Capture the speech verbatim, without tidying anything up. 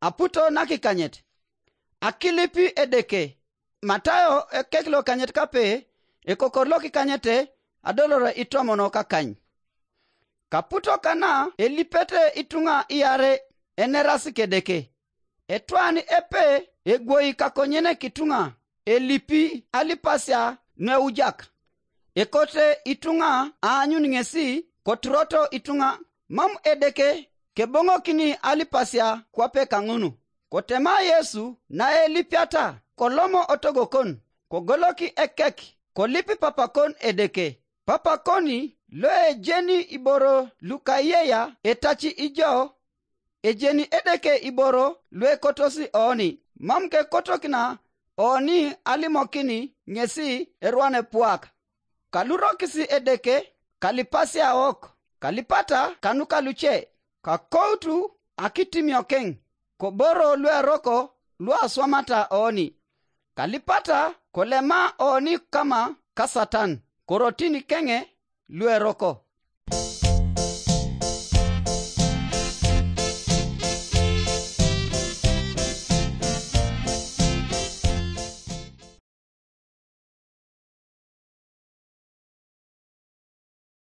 aputo nakikanyet. Akilipi Edeke. Matayo ekek lokanyet kape, ekokor lokikanyete, adolore itomono kakany. Kaputo kana elipete ituŋa iare enerasi Kedeke. Etwan epe egwoi kakonyenek ituŋa, elipi alipasia nueujak. Ekote ituŋa aanyun ŋesi koturoto ituŋa, mam Edeke keboŋokini alipasia kwape kaŋun. Kotema Yesu naelipiata, kolomo otogokon, kogoloki ekek, kolip papakon Edeke. Papakoni loejeni iboro lukaiyeya etaci ijo, ejeni Edeke iboro luekotosi oni, mam kekotokina oni alimokini ŋesi erwane puak. Kalurokisi Edeke, kalipasiaok, kalipata kanuka luce, kakoutu akitimiokeŋ, koboro lueroko luaswamata oni. Kalipata kolema oni kama kasatan, korotin keŋe lueroko.